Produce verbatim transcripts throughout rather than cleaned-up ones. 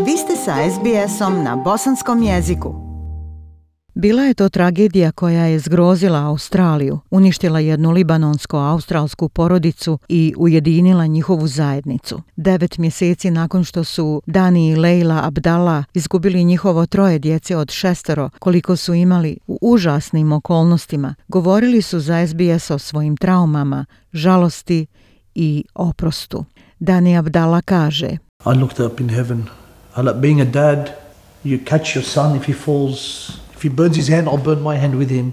Vi ste sa es be esom na bosanskom jeziku. Bila je to tragedija koja je zgrozila Australiju, uništila jednu libanonsko-australsku porodicu i ujedinila njihovu zajednicu. Devet mjeseci nakon što su Dani i Leila Abdallah izgubili njihovo troje djece od šestero, koliko su imali u užasnim okolnostima, govorili su za es be es o svojim traumama, žalosti i oprostu. Dani Abdallah kaže: I looked up in heaven. I like being a dad. You catch your son if he falls. If he burns his hand, I'll burn my hand with him.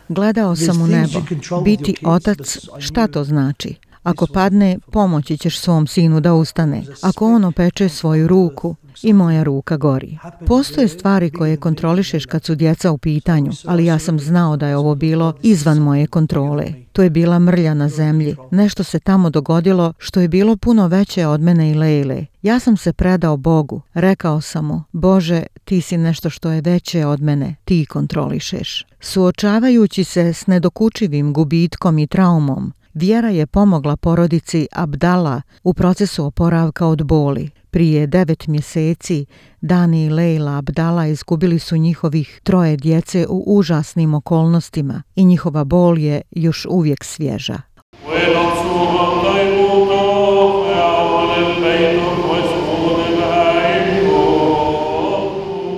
Gledao sam u nebo. Biti otac, šta to znači? Ako padne, pomoći ćeš svom sinu da ustane. Ako on opeče svoju ruku, i moja ruka gori. Postoje stvari koje kontrolišeš kad su djeca u pitanju, ali ja sam znao da je ovo bilo izvan moje kontrole. To je bila mrlja na zemlji. Nešto se tamo dogodilo što je bilo puno veće od mene i Lejle. Ja sam se predao Bogu. Rekao sam mu: Bože, ti si nešto što je veće od mene. Ti kontrolišeš. Suočavajući se s nedokučivim gubitkom i traumom, vjera je pomogla porodici Abdallah u procesu oporavka od boli. Prije devet mjeseci Dani i Leila Abdallah izgubili su njihovih troje djece u užasnim okolnostima i njihova bol je još uvijek svježa.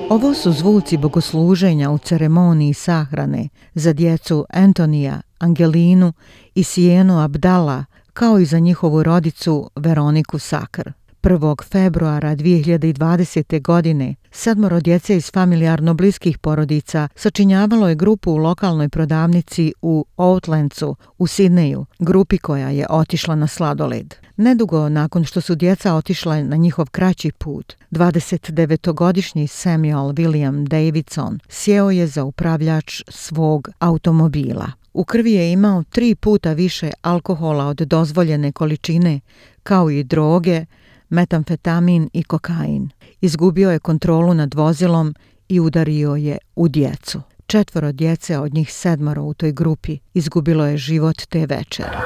Ovo su zvuci bogosluženja u ceremoniji sahrane za djecu Antonija, Angelinu i Sijenu Abdallah, kao i za njihovu rodicu Veroniku Sakr. prvog februara dvije hiljade dvadesete. godine sedmoro djece iz familijarno bliskih porodica sačinjavalo je grupu u lokalnoj prodavnici u Outlandsu u Sidneju, grupi koja je otišla na sladoled. Nedugo nakon što su djeca otišla na njihov kraći put, dvadesetdevetogodišnji Samuel William Davidson sjeo je za upravljač svog automobila. U krvi je imao tri puta više alkohola od dozvoljene količine, kao i droge, metamfetamin i kokain. Izgubio je kontrolu nad vozilom i udario je u djecu. Četvoro djece od njih sedmoro u toj grupi izgubilo je život te večeri.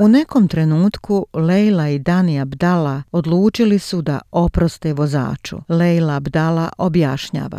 U nekom trenutku Leila i Dani Abdallah odlučili su da oproste vozaču. Leila Abdallah objašnjava: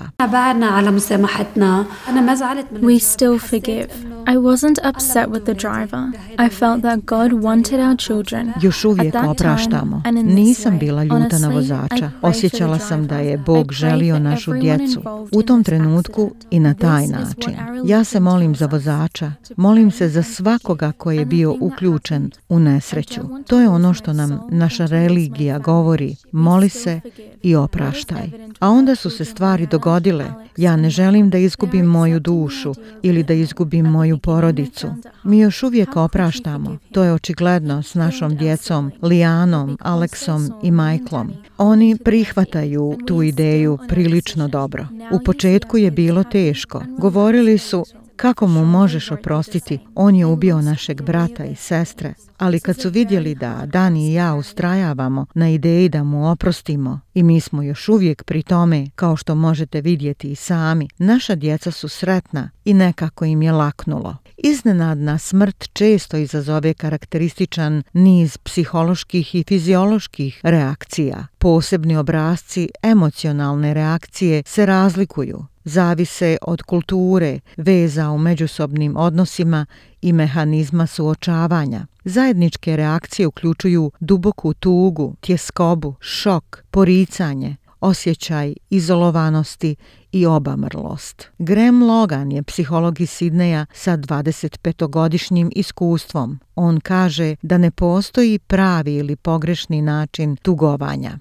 We still forgive. I wasn't upset with the driver. I felt that God wanted our children. Još uvijek opraštamo. Nisam bila ljuta na vozača. Osjećala sam da je Bog želio našu djecu. U tom trenutku i na taj način. Ja se molim za vozača. Molim se za svakoga koji je bio uključen u nesreću. To je ono što nam naša religija govori: moli se i opraštaj. A onda su se stvari dogodile. Ja ne želim da izgubim moju dušu ili da izgubim moju porodicu. Mi još uvijek opraštamo. To je očigledno s našom djecom Lianom, Aleksom i Michaelom. Oni prihvataju tu ideju prilično dobro. U početku je bilo teško. Govorili su: kako mu možeš oprostiti? On je ubio našeg brata i sestre. Ali kad su vidjeli da Dani i ja ustrajavamo na ideji da mu oprostimo i mi smo još uvijek pri tome, kao što možete vidjeti i sami, naša djeca su sretna i nekako im je laknulo. Iznenadna smrt često izazove karakterističan niz psiholoških i fizioloških reakcija. Posebni obrasci emocionalne reakcije se razlikuju. Zavise od kulture, veza u međusobnim odnosima i mehanizma suočavanja. Zajedničke reakcije uključuju duboku tugu, tjeskobu, šok, poricanje, osjećaj izolovanosti i obamrlost. Graham Logan je psiholog iz Sidneja sa dvadesetpetogodišnjim iskustvom. On kaže da ne postoji pravi ili pogrešni način tugovanja.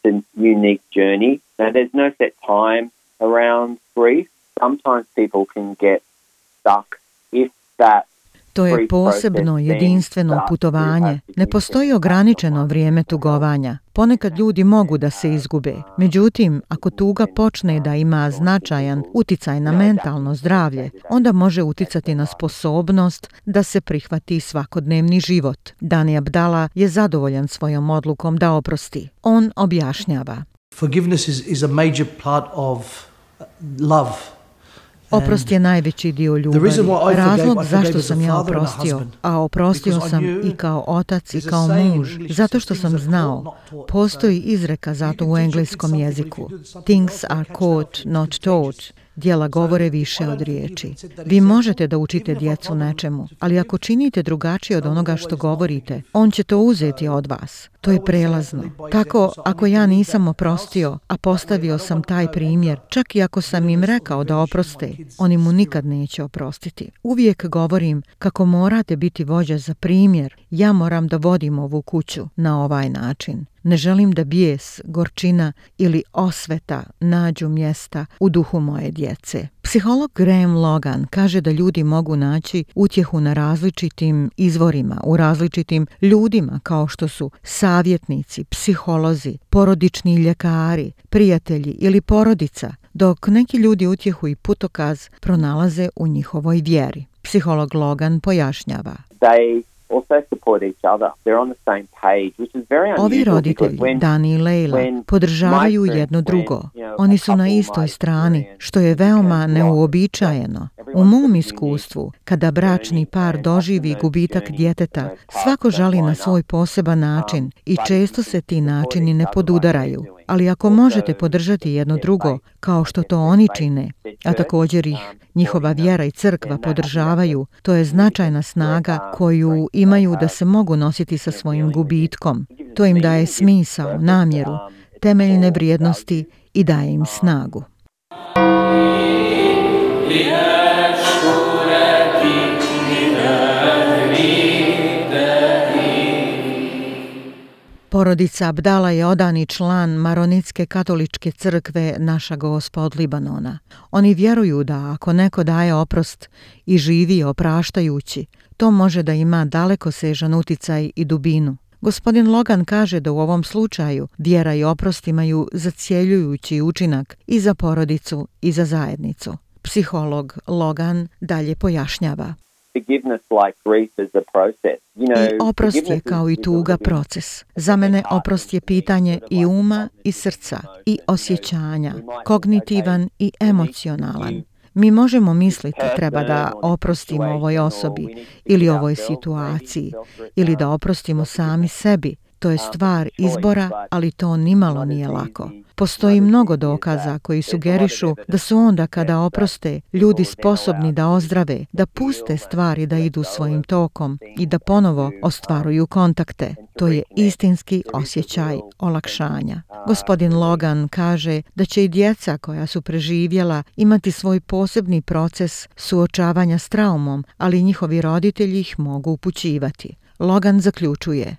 It's a unique journey. Now, there's no set time around grief. Sometimes people can get stuck if that. To je posebno jedinstveno putovanje. Ne postoji ograničeno vrijeme tugovanja. Ponekad ljudi mogu da se izgube. Međutim, ako tuga počne da ima značajan uticaj na mentalno zdravlje, onda može uticati na sposobnost da se prihvati svakodnevni život. Dani Abdallah je zadovoljan svojom odlukom da oprosti. On objašnjava: Forgiveness is, is a major part of love. Oprost je najveći dio ljubavi. Razlog zašto sam ja oprostio, a oprostio sam i kao otac i kao muž, zato što sam znao, postoji izreka zato u engleskom jeziku. Things are caught, not taught. Djela govore više od riječi. Vi možete da učite djecu nečemu, ali ako činite drugačije od onoga što govorite, on će to uzeti od vas. To je prelazno. Tako, ako ja nisam oprostio, a postavio sam taj primjer, čak i ako sam im rekao da oproste, oni mu nikad neće oprostiti. Uvijek govorim kako morate biti vođa za primjer. Ja moram da vodim ovu kuću na ovaj način. Ne želim da bijes, gorčina ili osveta nađu mjesta u duhu moje djece. Psiholog Graham Logan kaže da ljudi mogu naći utjehu na različitim izvorima, u različitim ljudima kao što su savjetnici, psiholozi, porodični ljekari, prijatelji ili porodica, dok neki ljudi utjehu i putokaz pronalaze u njihovoj vjeri. Psiholog Logan pojašnjava. They also support each other. They're on the same page, which is very unusual. Ovi roditelji, Dani i Leila, podržavaju jedno drugo. Oni su na istoj strani, što je veoma neuobičajeno. U mom iskustvu, kada bračni par doživi gubitak djeteta, svako žali na svoj poseban način i često se ti načini ne podudaraju. Ali ako možete podržati jedno drugo, kao što to oni čine, a također ih njihova vjera i crkva podržavaju, to je značajna snaga koju imaju da se mogu nositi sa svojim gubitkom. To im daje smisao, namjeru, temeljne vrijednosti i daje im snagu. Porodica Abdala je odani član Maronitske katoličke crkve Naša Gospa od Libanona. Oni vjeruju da ako neko daje oprost i živi opraštajući, to može da ima dalekosežan uticaj i dubinu. Gospodin Logan kaže da u ovom slučaju vjera i oprost imaju zacjeljujući učinak i za porodicu i za zajednicu. Psiholog Logan dalje pojašnjava. I oprost je kao i tuga proces. Za mene oprost je pitanje i uma i srca i osjećanja, kognitivan i emocionalan. Mi možemo misliti treba da oprostimo ovoj osobi ili ovoj situaciji ili da oprostimo sami sebi. To je stvar izbora, ali to nimalo nije lako. Postoji mnogo dokaza koji sugerišu da su onda kada oproste ljudi sposobni da ozdrave, da puste stvari da idu svojim tokom i da ponovo ostvaruju kontakte. To je istinski osjećaj olakšanja. Gospodin Logan kaže da će i djeca koja su preživjela imati svoj posebni proces suočavanja s traumom, ali njihovi roditelji ih mogu upućivati. Logan zaključuje.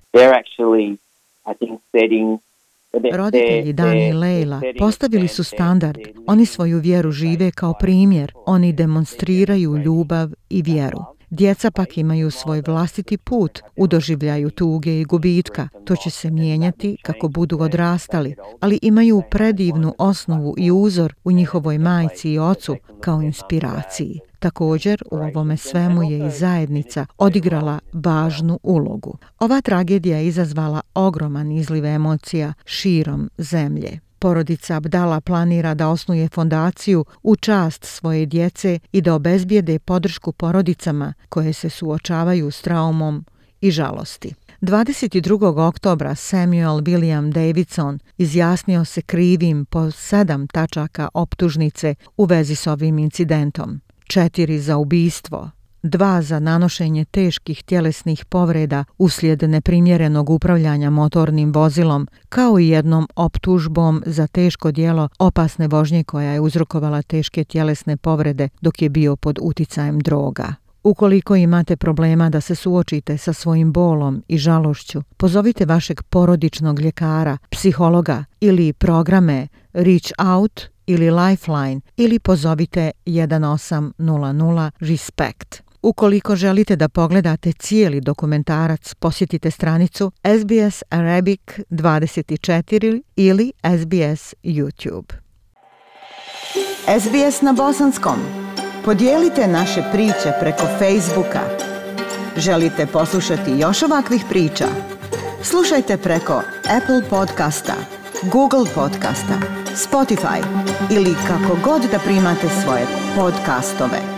Roditelji Dani i Leila postavili su standard. Oni svoju vjeru žive kao primjer. Oni demonstriraju ljubav i vjeru. Djeca pak imaju svoj vlastiti put u doživljaju tuge i gubitka. To će se mijenjati kako budu odrastali, ali imaju predivnu osnovu i uzor u njihovoj majci i ocu kao inspiraciji. Također, u ovome svemu je i zajednica odigrala važnu ulogu. Ova tragedija je izazvala ogroman izliv emocija širom zemlje. Porodica Abdala planira da osnuje fondaciju u čast svoje djece i da obezbijede podršku porodicama koje se suočavaju s traumom i žalosti. dvadeset drugog oktobra Samuel William Davidson izjasnio se krivim po sedam tačaka optužnice u vezi s ovim incidentom. Četiri za ubistvo, dva za nanošenje teških tjelesnih povreda uslijed neprimjerenog upravljanja motornim vozilom, kao i jednom optužbom za teško djelo opasne vožnje koja je uzrokovala teške tjelesne povrede dok je bio pod uticajem droga. Ukoliko imate problema da se suočite sa svojim bolom i žalošću, pozovite vašeg porodičnog ljekara, psihologa ili programe Reach Out ili Lifeline ili pozovite jedan osam nula nula Respect. Ukoliko želite da pogledate cijeli dokumentarac, posjetite stranicu S B S Arabic dvadeset četiri ili S B S YouTube. S B S na bosanskom. Podijelite naše priče preko Facebooka. Želite poslušati još ovakvih priča? Slušajte preko Apple podcasta, Google podcasta, Spotify ili kako god da primate svoje podcastove.